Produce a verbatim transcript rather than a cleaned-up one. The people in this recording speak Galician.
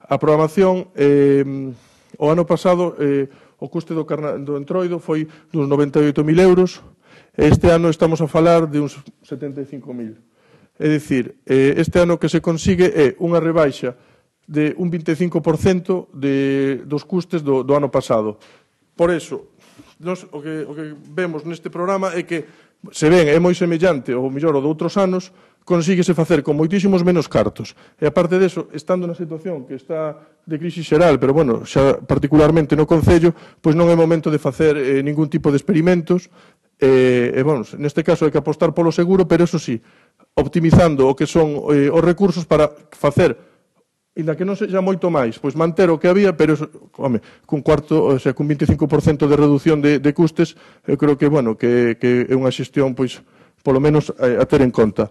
A programación, eh, o ano pasado, eh, o custe do, carna, do entroido foi dos noventa e oito mil euros, este ano estamos a falar de uns setenta e cinco mil. É dicir, eh, este ano que se consigue é unha rebaixa de un vinte e cinco por cento de, dos custes do, do ano pasado. Por eso, nos, o, que, o que vemos neste programa é que se ven, é moi semellante ao mellor o de outros anos, consíguese facer con moitísimos menos cartos. E aparte deso, estando na situación que está de crise xeral, pero bueno, xa particularmente no Concello, pois non é momento de facer eh, ningún tipo de experimentos. E, e, bueno, neste caso hai que apostar polo seguro, pero eso sí, optimizando o que son eh, os recursos para facer, inda que non sexa moito máis, pois manter o que había, pero, home, cun cuarto, o sea, cun vinte e cinco por cento de reducción de, de custes, eu creo que, bueno, que, que é unha xestión, pois, polo menos, eh, a ter en conta.